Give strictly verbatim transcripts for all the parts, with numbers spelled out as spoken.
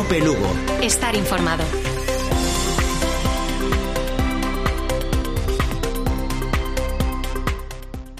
COPE Lugo. Estar informado.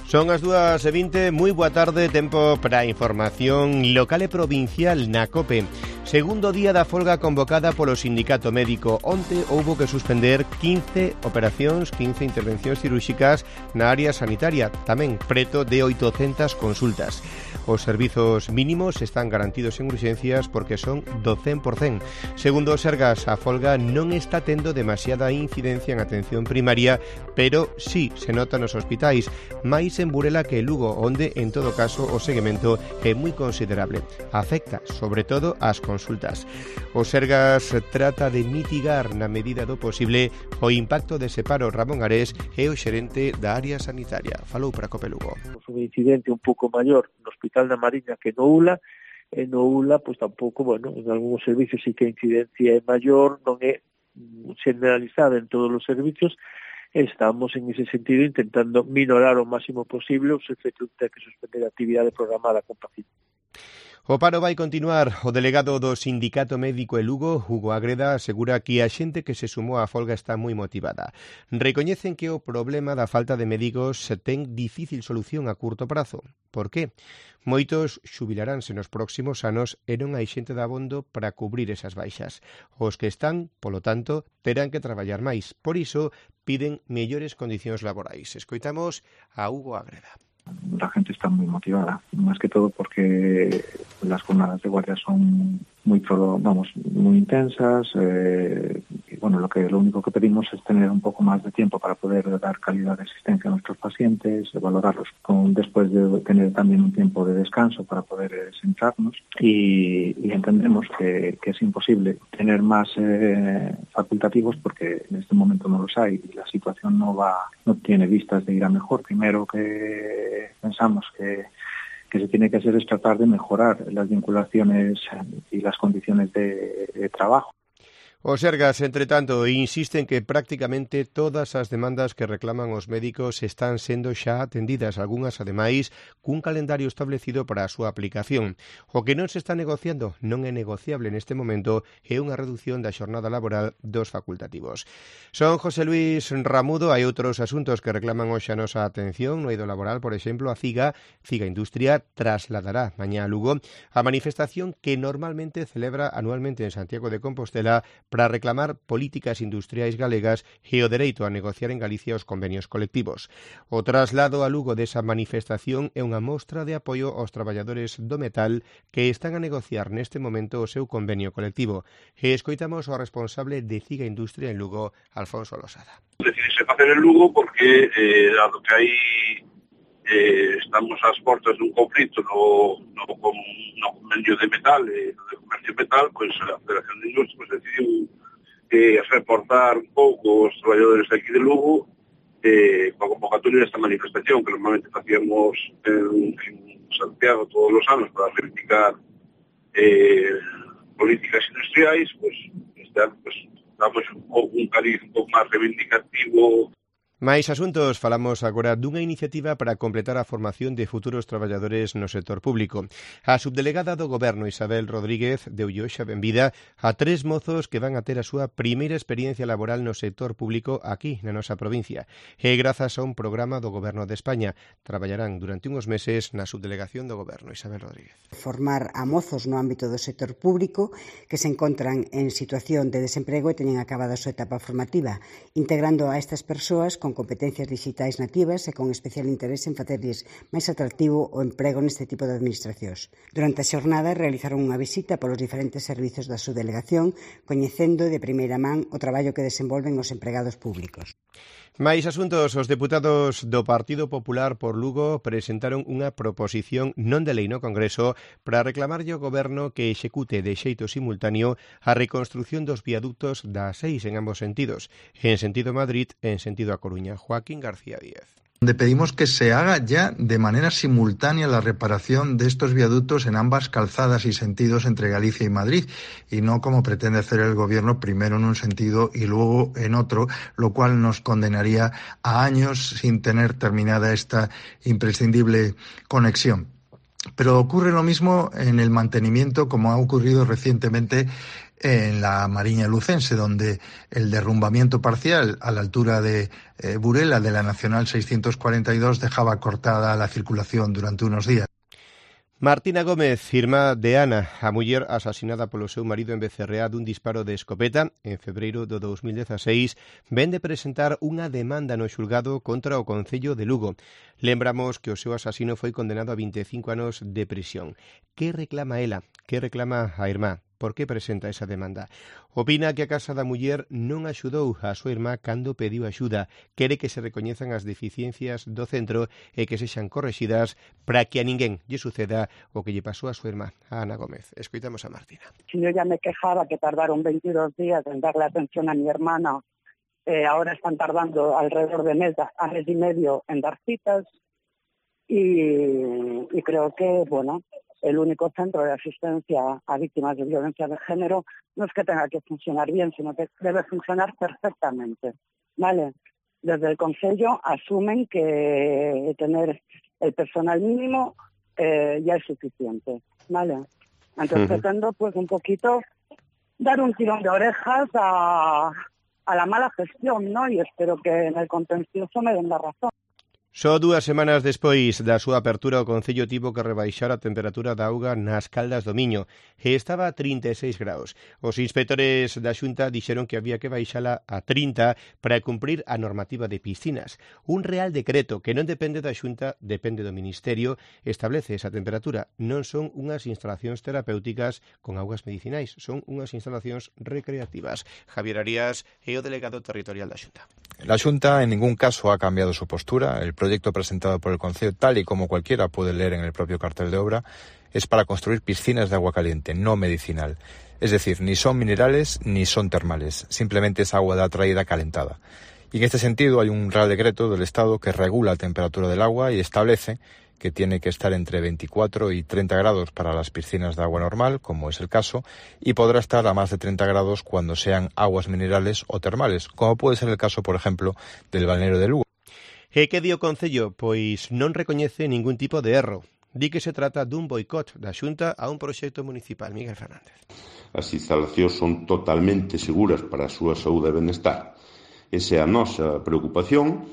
Son as dúas e vinte, moi boa tarde, tempo para a información local e provincial na COPE. Segundo día da folga convocada polo sindicato médico. Onte houbo que suspender quince operacións, quince intervencións cirúrxicas na área sanitaria, tamén preto de oitocentas consultas. Os servizos mínimos están garantidos en urxencias porque son do cen por cen. Segundo o Sergas, a folga non está tendo demasiada incidencia en atención primaria, pero sí se nota nos hospitais, máis en Burela que Lugo, onde, en todo caso, o seguimento é moi considerable. Afecta, sobre todo, as consultas. O Sergas trata de mitigar na medida do posible o impacto dese paro. Ramón Ares é o xerente da área sanitaria. Falou para COPE Lugo. Un incidente un pouco maior no Hospital da Mariña que no Ula, e no Ula, pois tampouco, bueno, en algúns servicios sí que a incidencia é maior, non é generalizada en todos os servicios. Estamos en ese sentido intentando minorar o máximo posible os efectos de que suspender a actividade programada con pacientes. O paro vai continuar. O delegado do Sindicato Médico e Lugo, Hugo Agreda, asegura que a xente que se sumou á folga está moi motivada. Recoñecen que o problema da falta de médicos ten difícil solución a curto prazo. Por qué? Moitos xubilaránse nos próximos anos e non hai xente dabondo para cubrir esas baixas. Os que están, polo tanto, terán que traballar máis. Por iso, piden mellores condicións laborais. Escoitamos a Hugo Agreda. La gente está muy motivada, más que todo porque las jornadas de guardia son muy, vamos, muy intensas eh, y bueno, lo que lo único que pedimos es tener un poco más de tiempo para poder dar calidad de asistencia a nuestros pacientes, valorarlos con, después de tener también un tiempo de descanso para poder eh, sentarnos y, y entendemos que, que es imposible tener más eh, facultativos porque en este momento no los hay y la situación no va, no tiene vistas de ir a mejor. Primero que pensamos que que se tiene que hacer es tratar de mejorar las vinculaciones y las condiciones de, de trabajo. O Sergas, entre tanto, insiste en que prácticamente todas as demandas que reclaman os médicos están sendo xa atendidas, algunhas, ademais, cun calendario establecido para a súa aplicación. O que non se está negociando, non é negociable neste momento, é unha reducción da xornada laboral dos facultativos. Son José Luis Ramudo, hai outros asuntos que reclaman hoxe a nosa atención no eido laboral, por exemplo, a CIGA, CIGA Industria, trasladará mañá a Lugo a manifestación que normalmente celebra anualmente en Santiago de Compostela para reclamar políticas industriais galegas e o dereito a negociar en Galicia os convenios colectivos. O traslado a Lugo desa manifestación é unha mostra de apoio aos traballadores do metal que están a negociar neste momento o seu convenio colectivo. E escoitamos ao responsable de CIGA Industria en Lugo, Alfonso Losada. Decidise facer en Lugo porque, eh, dado que aí eh, estamos ás portas dun conflito no, no, no convenio de metal e eh, no de comercio metal, pois a Federación de Industria pues, decidiu eh, reforzar un pouco os traballadores de aquí de Lugo eh, coa convocatoria desta manifestación que normalmente facíamos en, en Santiago todos os anos para reivindicar eh, políticas industriais, pois este ano pues, damos un pouco un cariz un pouco máis reivindicativo. Mais asuntos, falamos agora dunha iniciativa para completar a formación de futuros traballadores no sector público. A subdelegada do Goberno, Isabel Rodríguez, deulle hoxe a benvida a tres mozos que van a ter a súa primeira experiencia laboral no sector público aquí, na nosa provincia. E grazas a un programa do Goberno de España. Traballarán durante uns meses na subdelegación do Goberno. Isabel Rodríguez. Formar a mozos no ámbito do sector público que se encontran en situación de desemprego e teñen acabada a súa etapa formativa, integrando a estas persoas con competencias digitais nativas e con especial interese en facerlles máis atractivo o emprego neste tipo de administracións. Durante a xornada realizaron unha visita polos diferentes servizos da subdelegación, coñecendo de primeira man o traballo que desenvolven os empregados públicos. Mais asuntos, os deputados do Partido Popular por Lugo presentaron unha proposición non de lei no Congreso para reclamarlle ao Goberno que execute de xeito simultáneo a reconstrucción dos viaductos da seis en ambos sentidos, en sentido Madrid e en sentido A Coruña. Joaquín García Díez. Donde pedimos que se haga ya de manera simultánea la reparación de estos viaductos en ambas calzadas y sentidos entre Galicia y Madrid, y no como pretende hacer el Gobierno, primero en un sentido y luego en otro, lo cual nos condenaría a años sin tener terminada esta imprescindible conexión. Pero ocurre lo mismo en el mantenimiento, como ha ocurrido recientemente en la Mariña Lucense, donde el derrumbamiento parcial a la altura de eh, Burela de la Nacional seiscientos cuarenta y dos dejaba cortada la circulación durante unos días. Martina Gómez, irmá de Ana, a muller asasinada polo seu marido en Becerreá dun disparo de escopeta en febreiro do dos mil dezaseis, ven de presentar unha demanda no xulgado contra o Concello de Lugo. Lembramos que o seu asasino foi condenado a vinte e cinco anos de prisión. Que reclama ela? Que reclama a irmá? Por que presenta esa demanda? Opina que a Casa da Muller non axudou a súa irmá cando pediu axuda. Quere que se recoñezan as deficiencias do centro e que sexan correxidas para que a ninguén lle suceda o que lle pasou a súa irmá, a Ana Gómez. Escoitamos a Martina. Si yo ya me quejaba que tardaron veintidós días en darle atención a mi hermana, eh, ahora están tardando alrededor de mes, a mes y medio en dar citas y, y creo que, bueno, el único centro de asistencia a víctimas de violencia de género no es que tenga que funcionar bien, sino que debe funcionar perfectamente, ¿vale? Desde el Concello asumen que tener el personal mínimo eh, ya es suficiente, ¿vale? Entonces uh-huh. pretendo pues un poquito dar un tirón de orejas a, a la mala gestión, ¿no? Y espero que en el contencioso me den la razón. Só dúas semanas despois da súa apertura o Concello tivo que rebaixar a temperatura da auga nas Caldas do Miño e estaba a trinta e seis graus. Os inspectores da Xunta dixeron que había que baixala a trinta para cumprir a normativa de piscinas. Un real decreto que non depende da Xunta, depende do Ministerio, establece esa temperatura. Non son unhas instalacións terapéuticas con augas medicinais, son unhas instalacións recreativas. Javier Arias é o delegado territorial da Xunta. La Xunta en ningún caso ha cambiado su postura. El proyecto presentado por el Concello, tal y como cualquiera puede leer en el propio cartel de obra, es para construir piscinas de agua caliente, no medicinal. Es decir, ni son minerales ni son termales, simplemente es agua de atraída calentada. Y en este sentido hay un Real Decreto del Estado que regula la temperatura del agua y establece que tiene que estar entre veinticuatro y treinta grados para las piscinas de agua normal, como es el caso, y podrá estar a más de treinta grados cuando sean aguas minerales o termales, como puede ser el caso, por ejemplo, del balneario de Lugo. E que di o Concello? Pois non recoñece ningún tipo de erro. Di que se trata dun boicot da Xunta a un proxecto municipal. Miguel Fernández. As instalacións son totalmente seguras para a súa saúde e benestar. Esa é a nosa preocupación.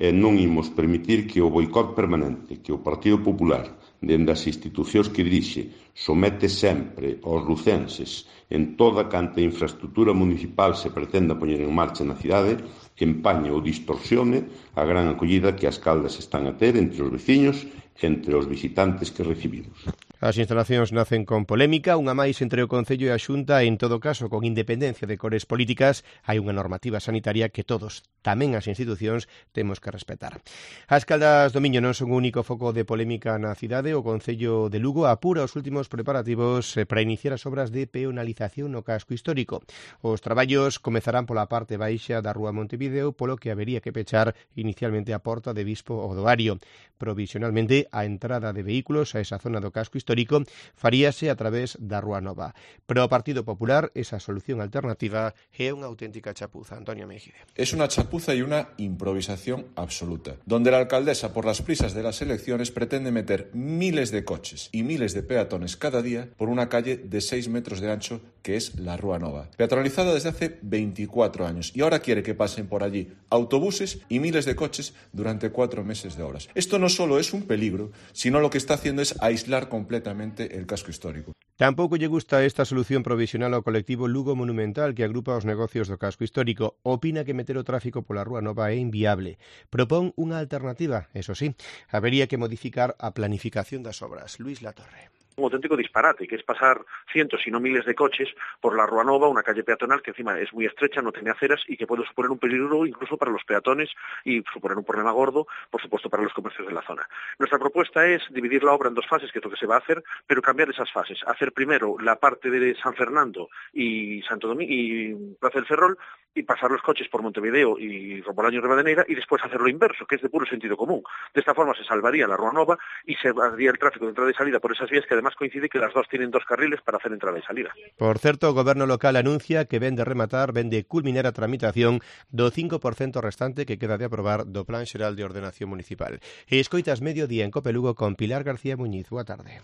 E non imos permitir que o boicot permanente que o Partido Popular, dende as institucións que dirixe, somete sempre aos lucenses en toda canta infraestructura municipal se pretenda poñer en marcha na cidade, empañe ou distorsione a gran acollida que as Caldas están a ter entre os veciños e entre os visitantes que recibimos. As instalacións nacen con polémica, unha máis entre o Concello e a Xunta, e en todo caso, con independencia de cores políticas, hai unha normativa sanitaria que todos, tamén as institucións, temos que respetar. As Caldas do Miño non son o único foco de polémica na cidade. O Concello de Lugo apura os últimos preparativos para iniciar as obras de peonalización no casco histórico. Os traballos comezarán pola parte baixa da Rúa Montevideo, polo que habería que pechar inicialmente a porta de Bispo Odoario. Provisionalmente, a entrada de vehículos a esa zona do casco histórico histórico faríase a través da Rúa Nova. Pero o Partido Popular, esa solución alternativa é unha auténtica chapuza. Antonio Mejide. Es una chapuza y una improvisación absoluta, donde la alcaldesa, por las prisas de las elecciones, pretende meter miles de coches y miles de peatones cada día por una calle de seis metros de ancho que es la Rúa Nova, peatonalizada desde hace veinticuatro años, y ahora quiere que pasen por allí autobuses y miles de coches durante cuatro meses de horas. Esto no solo es un peligro, sino lo que está haciendo es aislar completamente el casco histórico. Tampouco lle gusta esta solución provisional ao colectivo Lugo Monumental, que agrupa os negocios do casco histórico. Opina que meter o tráfico pola Rúa Nova é inviable. Propón unha alternativa, eso sí, habería que modificar a planificación das obras. Luis Latorre. Un auténtico disparate, que es pasar cientos, si no miles de coches por la Rúa Nova, una calle peatonal que encima es muy estrecha, no tiene aceras y que puede suponer un peligro incluso para los peatones y suponer un problema gordo, por supuesto, para los comercios de la zona. Nuestra propuesta es dividir la obra en dos fases, que es lo que se va a hacer, pero cambiar esas fases. Hacer primero la parte de San Fernando y Santo Domingo y Plaza del Ferrol y pasar los coches por Montevideo y Rombolaño y Rivadeneira y después hacer lo inverso, que es de puro sentido común. De esta forma se salvaría la Rúa Nova y se haría el tráfico de entrada y salida por esas vías que además coincide que las dos tienen dos carriles para hacer entrada y salida. Por certo, o Goberno local anuncia que ven de rematar, ven de culminar a tramitación do cinco por cento restante que queda de aprobar do Plan Xeral de Ordenación Municipal. E escoitas Mediodía en Cope Lugo con Pilar García Muñiz. Boa tarde.